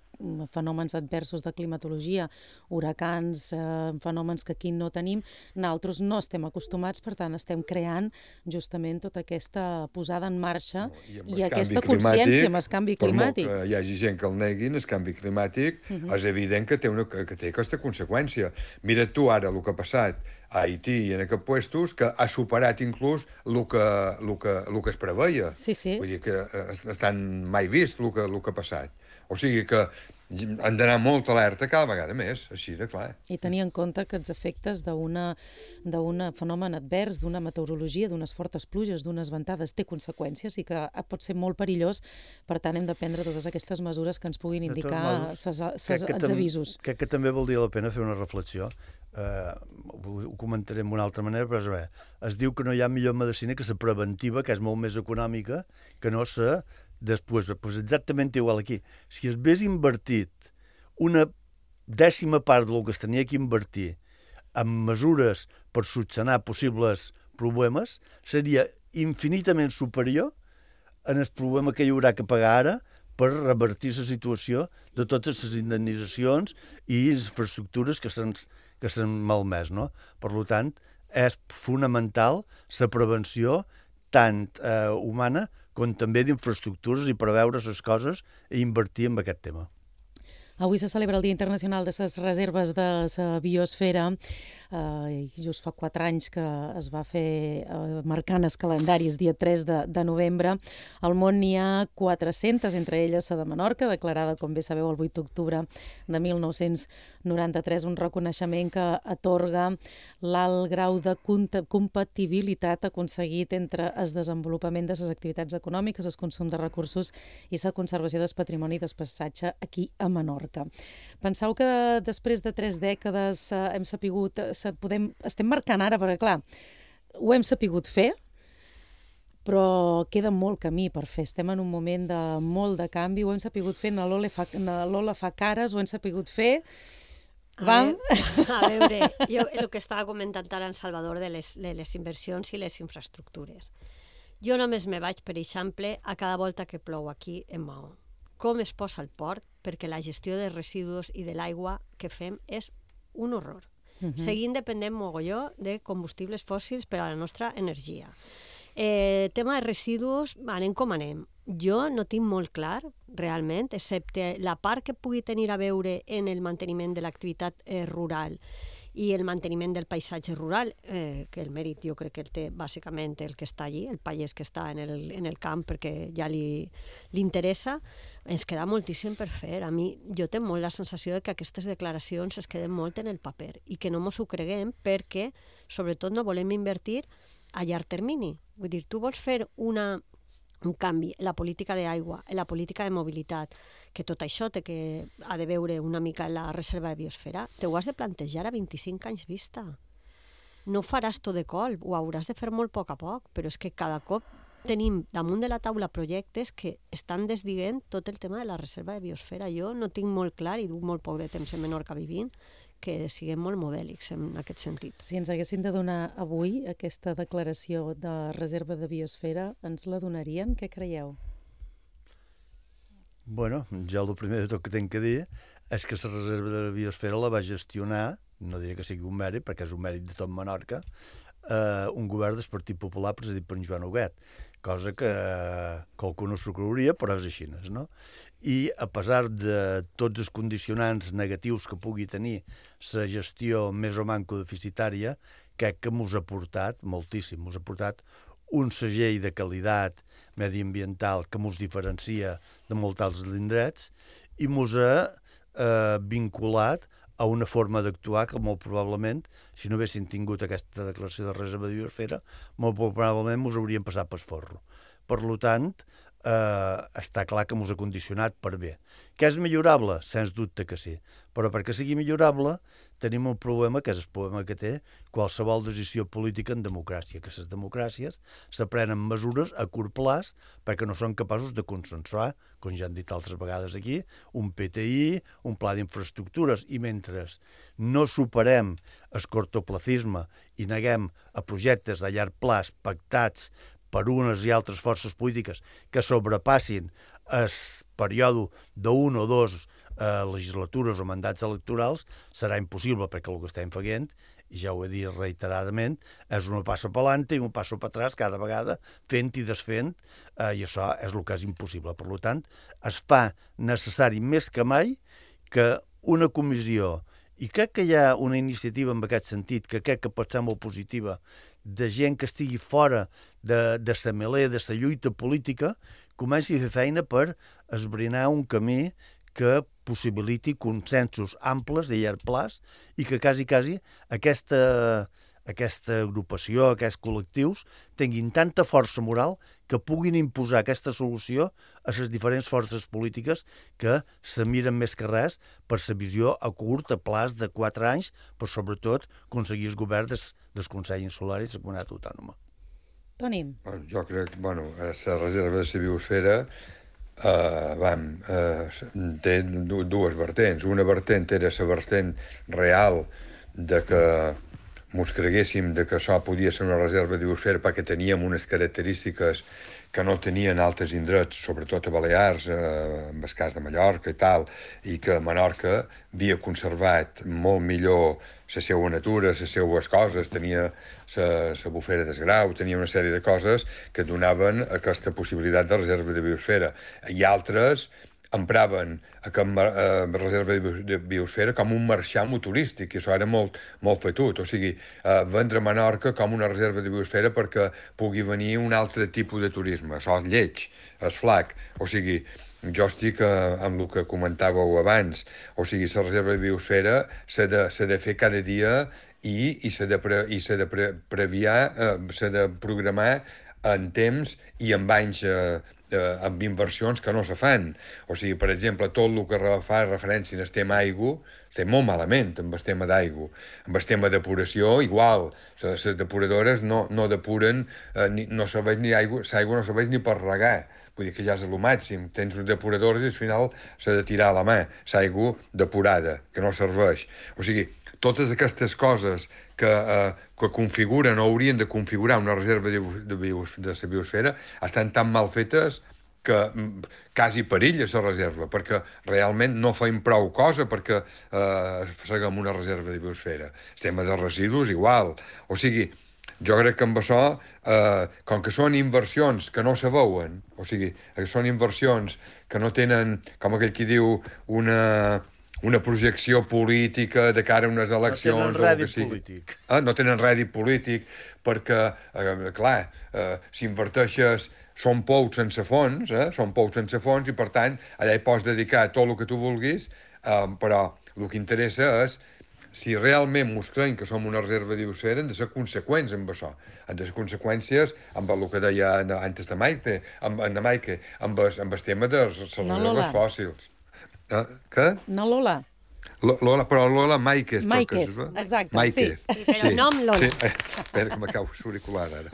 fenòmens adversos de climatologia, huracans, fenòmens que aquí no tenim. Nosaltres no estem acostumats, per tant estem creant justament tota aquesta posada en marxa i aquesta consciència amb el canvi climàtic. climàtic. Que hi hagi gent que el neguin, el canvi climàtic, és evident que té aquesta conseqüència. Mira tu ara el que ha passat a Haití i en aquests puestos, que ha superat inclús el que es preveia. Sí, sí. Vull dir que estan mai vist el que ha passat. O sigui que han d'anar molt alerta cada vegada més, així de clar. I tenir en compte que els efectes d'un fenomen advers, d'una meteorologia, d'unes fortes pluges, d'unes ventades, té conseqüències i que pot ser molt perillós. Per tant, hem de prendre totes aquestes mesures que ens puguin indicar els avisos. Crec que també valdria la pena fer una reflexió. Ho comentaré d'una altra manera, però es diu que no hi ha millor medicina que la preventiva, que és molt més econòmica, que no la després. Pues exactament igual aquí. Si es hagués invertit una 10ª part del que es tenia que invertir en mesures per solucionar possibles problemes, seria infinitament superior en el problema que hi haurà que pagar ara per revertir la situació de totes les indemnitzacions i les infraestructures que s'han malmès, no? Per tant, és fonamental la prevenció tant humana com també d'infraestructures i preveure les coses i invertir en aquest tema. Avui se celebra el Dia Internacional de les Reserves de la Biosfera. Just fa 4 anys que es va fer marcant els calendaris, dia 3 de novembre. Al món n'hi ha 400, entre elles la de Menorca, declarada, com bé sabeu, el 8 d'octubre de 1993, un reconeixement que atorga l'alt grau de compatibilitat aconseguit entre el desenvolupament de les activitats econòmiques, el consum de recursos i la conservació del patrimoni del paisatge aquí a Menorca. Penseu que després de 3 dècades estem marcant ara, perquè clar, ho hem sapigut fer, però queda molt camí per fer. Estem en un moment de molt de canvi, ho hem sapigut fer, l'Ola fa cares, ho hem sapigut fer. A veure, jo el que estava comentant ara en Salvador de les inversions i les infraestructures. Jo només me vaig, per exemple, a cada volta que plou aquí en Maó. Com es posa el port, perquè la gestió de residus i de l'aigua que fem és un horror. Seguint dependent mogolló de combustibles fòssils per a la nostra energia. Tema de residus, anem com anem. Jo no tinc molt clar, realment, excepte la part que pugui tenir a veure en el manteniment de l'activitat rural i el manteniment del paisatge rural, que el mèrit jo crec que el té bàsicament el que està allí, el pagès que està en el camp perquè ja li interessa, ens queda moltíssim per fer. A mi, jo tinc molt la sensació de que aquestes declaracions es queden molt en el paper i que no mos ho creguem perquè, sobretot, no volem invertir a llarg termini. Vull dir, tu vols fer un canvi en la política d'aigua, en la política de mobilitat, que tot això ha de veure una mica en la reserva de biosfera, te ho has de plantejar a 25 anys vista. No faràs tot de colp, ho hauràs de fer molt a poc, però és que cada cop tenim damunt de la taula projectes que estan desdient tot el tema de la reserva de biosfera. Jo no tinc molt clar, i duc molt poc de temps en Menorca vivint, que siguem molt modèlics en aquest sentit. Si ens haguessin de donar avui aquesta declaració de reserva de biosfera, ens la donarien? Què creieu? Bueno, jo el primer de tot que tinc que dir és que la reserva de biosfera la va gestionar, no diré que sigui un mèrit, perquè és un mèrit de tot Menorca, un govern del Partit Popular presidit per en Joan Huguet, cosa que qualcú no s'ho creuria, però és així, no? I a pesar de tots els condicionants negatius que pugui tenir la gestió més o manco deficitària, crec que mos ha portat moltíssim, mos ha portat un segell de qualitat mediambiental que mos diferencia de molts altres indrets i mos ha vinculat a una forma d'actuar que molt probablement, si no haguessin tingut aquesta declaració de reserva de biosfera, molt probablement mos haurien passat pel forro. Per tant, està clar que mos ha condicionat per bé. Que és millorable? Sens dubte que sí. Però perquè sigui millorable tenim un problema, que és el problema que té qualsevol decisió política en democràcia, que les democràcies s'aprenen mesures a curt plaç perquè no són capaços de consensuar, com ja han dit altres vegades aquí, un PTI, un pla d'infraestructures, i mentre no superem el cortoplacisme i neguem a projectes a llarg plaç pactats per unes i altres forces polítiques que sobrepassin el període d'un o dos legislatures o mandats electorals serà impossible, perquè el que estem fent, i ja ho he dit reiteradament, és un passo per l'ante i un passo per atràs cada vegada, fent i desfent, i això és el que és impossible. Per tant, es fa necessari més que mai que una comissió, i crec que hi ha una iniciativa en aquest sentit, que crec que pot ser molt positiva, de gent que estigui fora de la melé, de la lluita política, comenci a fer feina per esbrinar un camí que possibiliti consensos amples de llarg plaç i que quasi aquesta agrupació, aquests col·lectius, tinguin tanta força moral que puguin imposar aquesta solució a les diferents forces polítiques que se miren més que res per la visió a curt, a plaç de 4 anys, però sobretot aconseguir el govern del Consell Insular i la Comunitat Autònoma. Toni. Jo crec que la reserva de la biosfera té dues vertents. Una vertent era la vertent real de que mos creguéssim que això podia ser una reserva de biosfera perquè teníem unes característiques que no tenien altres indrets, sobretot a Balears, en el cas de Mallorca i tal, i que Menorca havia conservat molt millor la seva natura, les seues coses, tenia la bufera d'Esgrau, tenia una sèrie de coses que donaven aquesta possibilitat de reserva de biosfera. I altres empraven aquesta reserva de biosfera com un marxam turístic, i això era molt fetut, o sigui, vendre Menorca com una reserva de biosfera perquè pugui venir un altre tipus de turisme. Això és lleig, és flac, o sigui, jo estic amb el que comentàveu abans, o sigui, la reserva de biosfera s'ha de fer cada dia i s'ha de previar, s'ha de programar en temps i en anys amb inversions que no se fan. O sigui, per exemple, tot el que fa referència al tema aigua, estem molt malament amb el tema d'aigua. Amb el tema depuració, igual. Les depuradores no depuren, no serveix ni aigua, l'aigua no serveix ni per regar. Vull dir que ja és el màxim. Tens uns depuradors i al final s'ha de tirar a la mà l'aigua depurada, que no serveix. O sigui, totes aquestes coses que configuren o haurien de configurar una reserva de la biosfera estan tan mal fetes que quasi perilla la reserva, perquè realment no feim prou cosa perquè seguim una reserva de biosfera. El tema de residus, igual. O sigui, jo crec que amb això, com que són inversions que no se veuen, o sigui, que són inversions que no tenen, com aquell qui diu, una projecció política de cara a unes eleccions... No tenen rèdit polític. No tenen rèdit polític perquè, clar, si inverteixes són pous sense fons, i per tant allà hi pots dedicar tot el que tu vulguis, però el que interessa és si realment mos creiem que som una reserva de biosfera, hem de ser conseqüents amb això. Han de ser conseqüències amb el que deia antes de Maite, amb el tema de les reserves fòssils. Què? No Lola. Lola, però Lola Maikes. Maikes, exacte, Maikes. Sí, però el nom Lola. Sí. Espera que m'acabo l'auricular ara.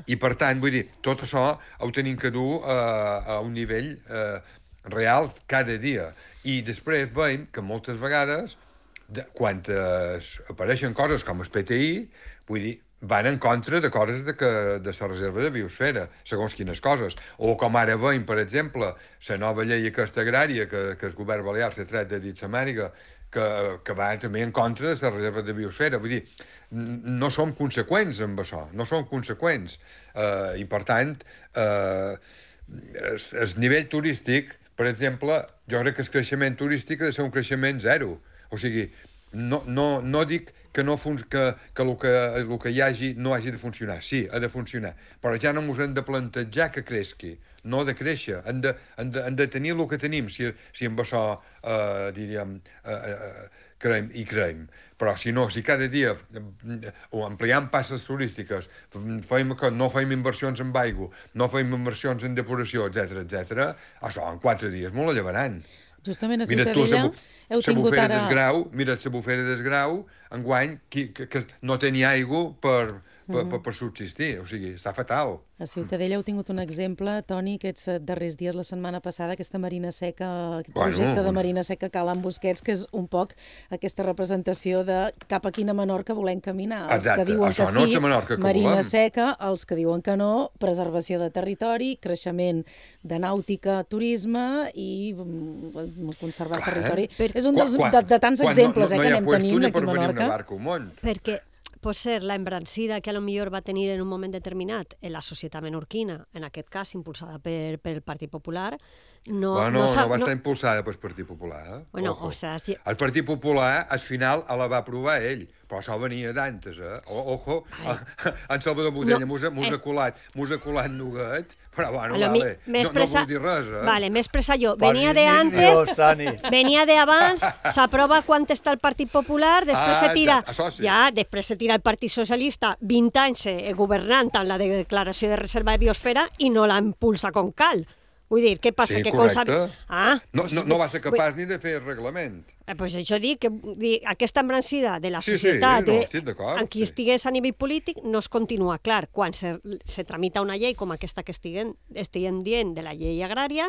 I per tant, vull dir, tot això ho tenim que dur a un nivell real cada dia. I després veiem que moltes vegades, quan apareixen coses com el PTI, vull dir, van en contra de coses de la reserva de biosfera, segons quines coses. O com ara veiem, per exemple, la nova llei aquesta agrària que el govern balear s'ha tret de dins la màniga, que va també en contra de la reserva de biosfera. Vull dir, no som conseqüents amb això, no som conseqüents. I, per tant, el nivell turístic, per exemple, jo crec que el creixement turístic ha de ser un creixement zero. O sigui, no dic que el que hi hagi no hagi de funcionar. Sí, ha de funcionar. Però ja no ens hem de plantejar que creixi, no de créixer. Hem de tenir el que tenim, si amb això, diríem, creiem. Però si no, si cada dia o ampliant passes turístiques, no fem inversions en aigua, no fem inversions en depuració, etc., això en 4 dies molt llevaran. Justament a Ciutadella heu tingut ara... Mira't la bufera d'Esgrau, enguany, que no tenia aigua per per subsistir. O sigui, està fatal. A Ciutadella heu tingut un exemple, Toni, aquests darrers dies, la setmana passada, aquesta marina seca, aquest projecte de marina seca a Cala en Busquets, que és un poc aquesta representació de cap a quina Menorca volem caminar. Els que diuen que sí, marina seca, els que diuen que no, preservació de territori, creixement de nàutica, turisme i conservar el territori. És un de tants exemples que anem tenint aquí a Menorca. Perquè pot ser la embrancida que a lo millor va tenir en un moment determinat en la societat menorquina, en aquest cas impulsada pel Partit Popular, no va estar impulsada pel Partit Popular. El Partit Popular al final la va aprovar ell, però això venia d'antes, Ojo, en Salvador Botella mos ha colat nuguet, però bueno, no vol dir res, Vale, m'he expressat jo. Venia de antes, venia de abans, s'aprova quan està el Partit Popular, després se tira el Partit Socialista 20 anys governant amb la declaració de reserva de biosfera i no la impulsa com cal. Vull dir, què passa? Sí, correcte. No va ser capaç ni de fer el reglament. Doncs això dic, que aquesta embrancida de la societat, en qui estigués a nivell polític, no es continua. Clar, quan se tramita una llei com aquesta que estiguem dient de la llei agrària,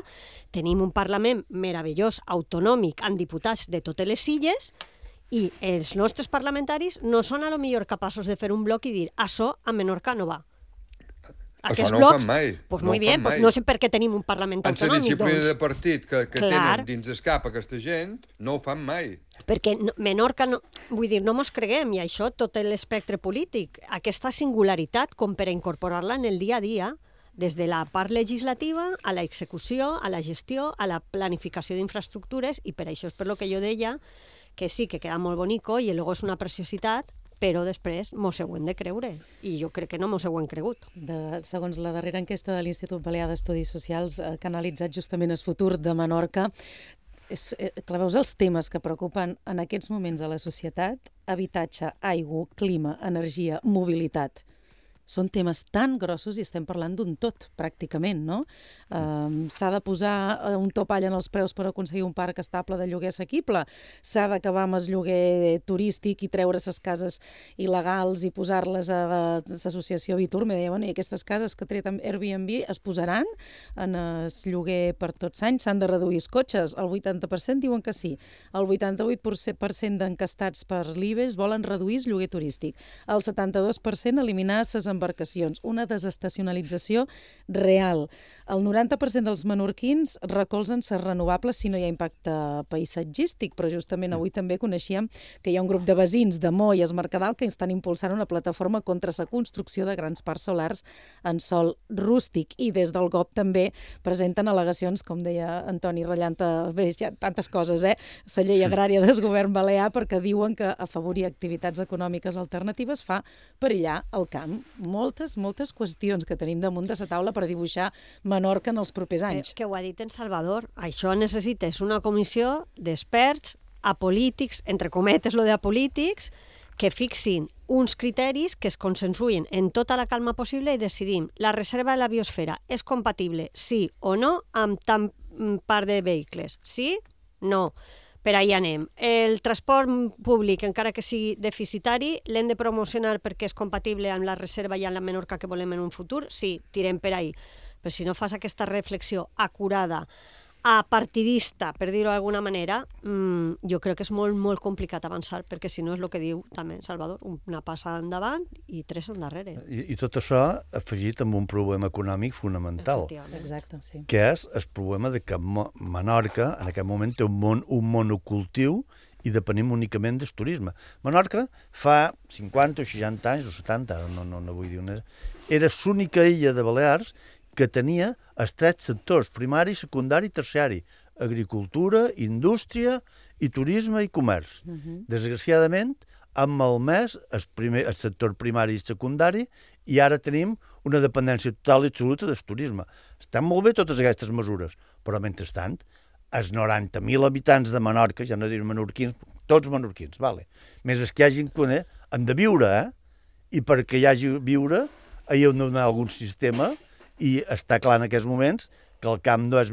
tenim un Parlament meravellós, autonòmic, amb diputats de totes les illes, i els nostres parlamentaris no són a lo millor capaços de fer un bloc i dir això a Menorca no va. Això no ho fan mai. Doncs molt bé, no sé per què tenim un Parlament autonòmic. En la disciplina de partit que tenen dins el cap aquesta gent, no ho fan mai. Perquè Menorca, vull dir, no mos creguem, i això tot l'espectre polític, aquesta singularitat com per a incorporar-la en el dia a dia, des de la part legislativa a la execució, a la gestió, a la planificació d'infraestructures, i per això és per lo que jo deia que sí, que queda molt bonico i luego és una preciositat, però després mos ho hem de creure, i jo crec que no mos ho hem cregut. Segons la darrera enquesta de l'Institut Balear d'Estudis Socials, que ha analitzat justament el futur de Menorca, veus els temes que preocupen en aquests moments a la societat: habitatge, aigua, clima, energia, mobilitat. Són temes tan grossos i estem parlant d'un tot, pràcticament, no? S'ha de posar un topall en els preus per aconseguir un parc estable de lloguer assequible, s'ha d'acabar amb el lloguer turístic i treure les cases il·legals i posar-les a l'associació Vitur. Me deia, i aquestes cases que ha tret amb Airbnb es posaran en el lloguer per tots anys, s'han de reduir els cotxes, el 80% diuen que sí, el 88% d'encastats per l'IBEX volen reduir el lloguer turístic, el 72% eliminar les embarcacions, una desestacionalització real. El 90% dels menorquins recolzen les renovables si no hi ha impacte paisatgístic, però justament avui també coneixíem que hi ha un grup de veïns de Mo i es Mercadal que estan impulsant una plataforma contra la construcció de grans parcs solars en sòl rústic, i des del GOP també presenten al·legacions, com deia Antoni ratllant, bé, hi ha tantes coses, la llei agrària del govern balear, perquè diuen que afavorir activitats econòmiques alternatives fa perillar el camp. Moltes qüestions que tenim damunt de la taula per dibuixar Menorca en els propers anys. Que ho ha dit en Salvador, això necessites una comissió d'experts apolítics, entre cometes lo de apolítics, que fixin uns criteris que es consensuïn en tota la calma possible i decidim la reserva de la biosfera és compatible, sí o no, amb tant part de vehicles. Sí? No. Per ahí anem. El transport públic, encara que sigui deficitari, l'hem de promocionar perquè és compatible amb la reserva i amb la Menorca que volem en un futur? Sí, tirem per ahí. Però si no fas aquesta reflexió acurada, apartidista, per dir-ho d'alguna manera, jo crec que és molt complicat avançar, perquè si no és el que diu també Salvador, una passa endavant i tres endarrere. I tot això afegit amb un problema econòmic fonamental. Exacte, sí. Que és el problema de que Menorca en aquest moment té un monocultiu i depenim únicament del turisme. Menorca fa 50 o 60 anys, o 70, no vull dir una... Era l'única illa de Balears que tenia els tres sectors, primari, secundari i terciari: agricultura, indústria i turisme i comerç. Desgraciadament, han malmès el sector primari i secundari i ara tenim una dependència total i absoluta del turisme. Estan molt bé totes aquestes mesures, però mentrestant, els 90.000 habitants de Menorca, ja no diré menorquins, tots menorquins, vale. Més els que hagin, han de viure, i perquè hi hagi viure, hi ha de donar algun sistema. I està clar en aquests moments que el camp no és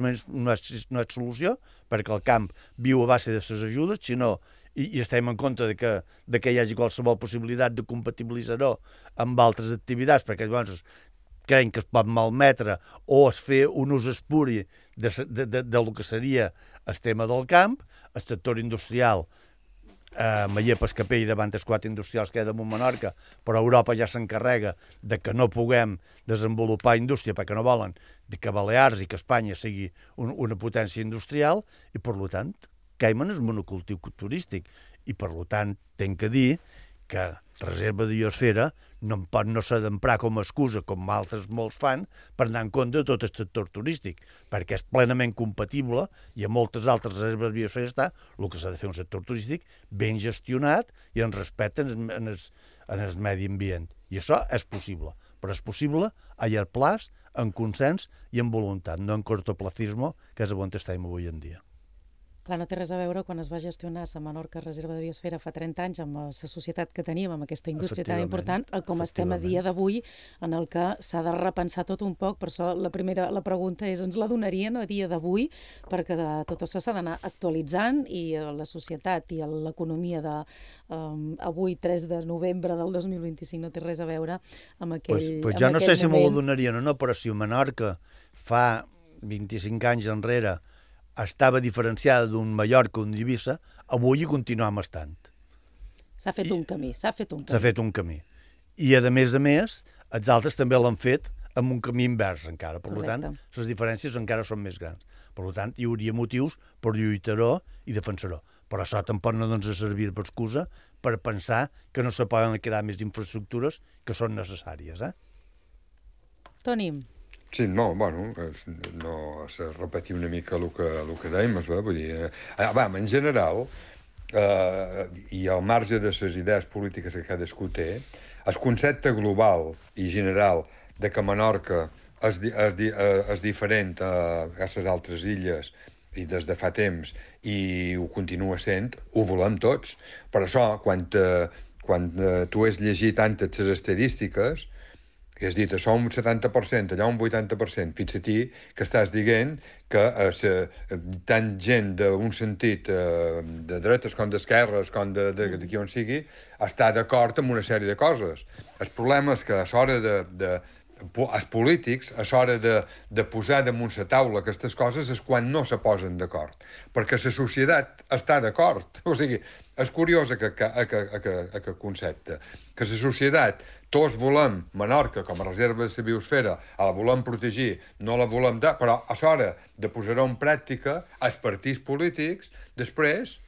solució, perquè el camp viu a base de les ajudes, sinó i estem en contra de que hi hagi qualsevol possibilitat de compatibilitzar-ho amb altres activitats, perquè llavors creiem que es pot malmetre o es fer un ús espuri del que seria el tema del camp, el sector industrial, Maller Pescapell davant els 4 industrials que hi ha damunt Menorca, però Europa ja s'encarrega de que no puguem desenvolupar indústria perquè no volen que Balears i que Espanya sigui una potència industrial i, per tant, Caiman és monocultiu turístic i, per tant, tenc que dir que reserva de biosfera no pot no s'ha d'emprar com a excusa, com altres molts fan, per anar en compte de tot el sector turístic, perquè és plenament compatible i a moltes altres reserves de biosfera està el que s'ha de fer un sector turístic ben gestionat i en respecte en el medi ambient. I això és possible, però és possible a llarg plaç, en consens i en voluntat, no en cortoplacisme, que és on estem avui en dia. Clar, no té res a veure quan es va gestionar la Menorca Reserva de Biosfera fa 30 anys amb la societat que teníem, amb aquesta indústria tan important, com estem a dia d'avui, en el que s'ha de repensar tot un poc. Per això la pregunta és, ens la donarien a dia d'avui? Perquè tot això s'ha d'anar actualitzant i la societat i l'economia d'avui, 3 de novembre del 2025, no té res a veure amb aquell moment. Pues jo no sé si me la donarien o no, però si Menorca fa 25 anys enrere estava diferenciada d'un Mallorca o d'un Eivissa, avui hi continuem estant. S'ha fet un camí. S'ha fet un camí. I, a més, els altres també l'han fet amb un camí invers encara. Per tant, les diferències encara són més grans. Per tant, hi hauria motius per lluitar-ho i defensar-ho. Però això tampoc no ens ha servit per excusa per pensar que no se poden crear més infraestructures que són necessàries. Toni. Sí, no, bueno, no se repetir una mica el que dèiem, vull dir, en general, i al marge de les idees polítiques que cadascú té, el concepte global i general de que Menorca és diferent a les altres illes i des de fa temps i ho continua sent, ho volem tots. Per això, quan tu has llegit tantes les estadístiques, i has dit, això un 70%, allà un 80%, fins a ti que estàs dient que tant gent d'un sentit de dretes com d'esquerres, com d'aquí on sigui, està d'acord amb una sèrie de coses. El problema és que a l'hora els polítics, a l'hora de posar damunt la taula aquestes coses és quan no se posen d'acord, perquè la societat està d'acord. O sigui, és curiós aquest concepte, que la societat, tots volem Menorca com a reserva de la biosfera, la volem protegir, no la volem dar, però a l'hora de posar-ho en pràctica, els partits polítics després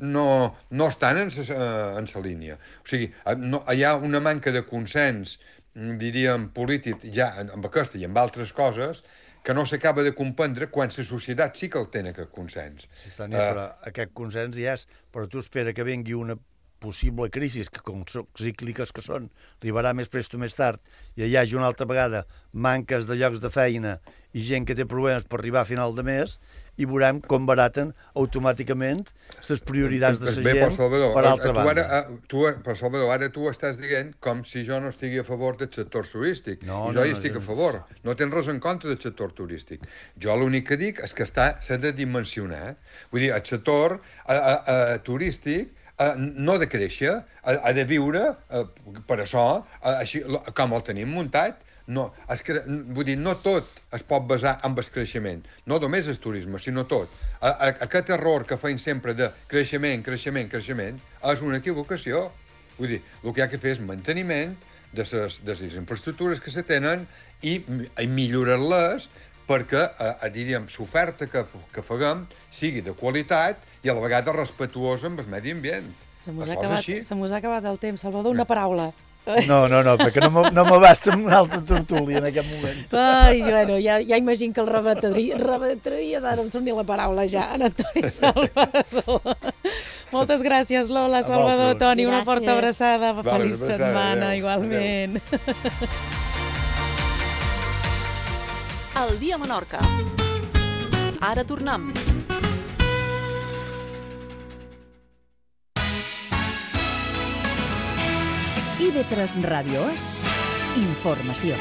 no estan en la línia. O sigui, hi ha una manca de consens, diríem, polític, ja amb aquesta i amb altres coses, que no s'acaba de comprendre quan la societat sí que el té aquest consens. Sí, però aquest consens hi és, però tu espera que vingui una possible crisi, que com cícliques que són, arribarà més prest o més tard, i hi hagi una altra vegada manques de llocs de feina i gent que té problemes per arribar a final de mes, i veurem com baraten automàticament les prioritats de la gent per altra banda. Però, Salvador, ara tu estàs dient com si jo no estigui a favor del sector turístic. I jo hi estic a favor. No tens res en contra del sector turístic. Jo l'únic que dic és que s'ha de dimensionar. Vull dir, el sector turístic no ha de créixer, ha de viure, per això, com el tenim muntat. Vull dir, no tot es pot basar en el creixement, no només el turisme, sinó tot. Aquest error que feim sempre de creixement és una equivocació. Vull dir, el que hi ha que fer és manteniment de les infraestructures que se tenen i millorar-les perquè, diríem, l'oferta que faguem sigui de qualitat i a la vegada respectuosa amb el medi ambient. Se mos ha acabat el temps. Salvador, una paraula. No, perquè no m'abasta una altra tertúlia en aquest moment. Ai, bueno, ja imagino que el rebatries, ara em surt ni la paraula ja, en Antoni Salvador. Moltes gràcies, Lola, Salvador, Toni, una forta abraçada, feliç setmana, igualment. El dia a Menorca. Ara tornem. IB3 Ràdio és informació.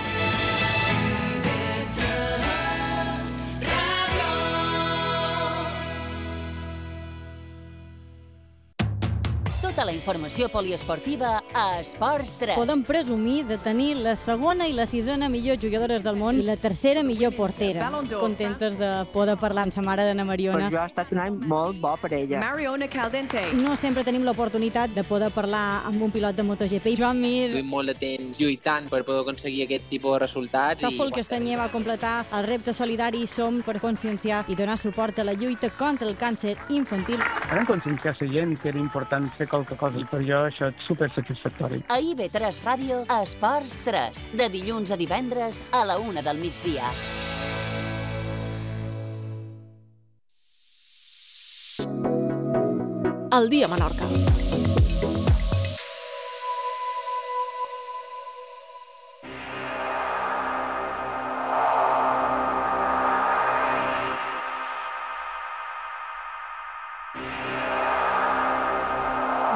Tota la informació poliesportiva a Esports 3. Podem presumir de tenir la segona i la sisena millor jugadores del món i la tercera millor portera. Contentes de poder parlar amb sa mare d'Anna Mariona. Per jo ha estat un any molt bo per ella. Mariona Caldente. No sempre tenim l'oportunitat de poder parlar amb un pilot de MotoGP. Joan Mir. Estic molt de temps lluitant per poder aconseguir aquest tipus de resultats. Tòfol Castanyer va completar el repte solidari Som per conscienciar i donar suport a la lluita contra el càncer infantil. Vam conscienciar la gent que era important fer qualque cosa i per jo això és supersatisfactori. A IB3 Ràdio, Esports 3, de dilluns a divendres a la 1 del migdia. El dia a Menorca.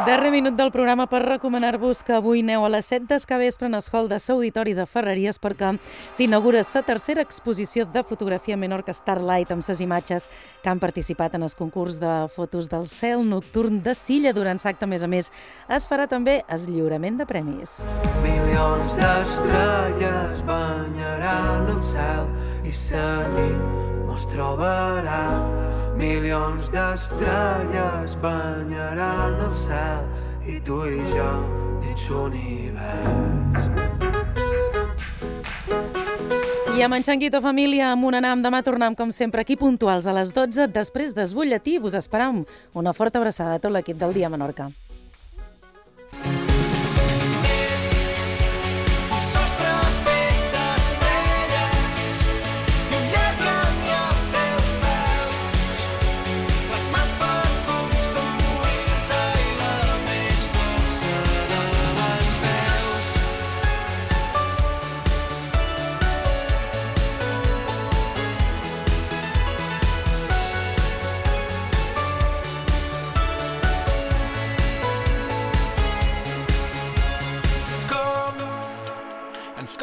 Darrer minut del programa per recomanar-vos que avui aneu a les 7 d'escavespre en el hall de l'Auditori de Ferreries perquè s'inaugura la tercera exposició de fotografia Menorca Starlight amb les imatges que han participat en el concurs de fotos del cel nocturn de Silla. Durant l'acte, a més, es farà també el lliurament de premis. Milions d'estrelles banyaran el cel i la nit mos trobarà. Milions d'estrelles banyaran el cel i tu i jo dins l'univers. I amb en Xanguito família, amb un anam, demà tornem com sempre aquí puntuals a les 12 després del butlletí. Vos esperam una forta abraçada a tot l'equip del Dia Menorca.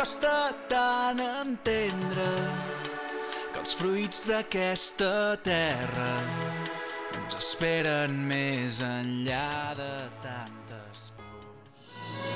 Costa tant entendre que els fruits d'aquesta terra ens esperen més enllà de tantes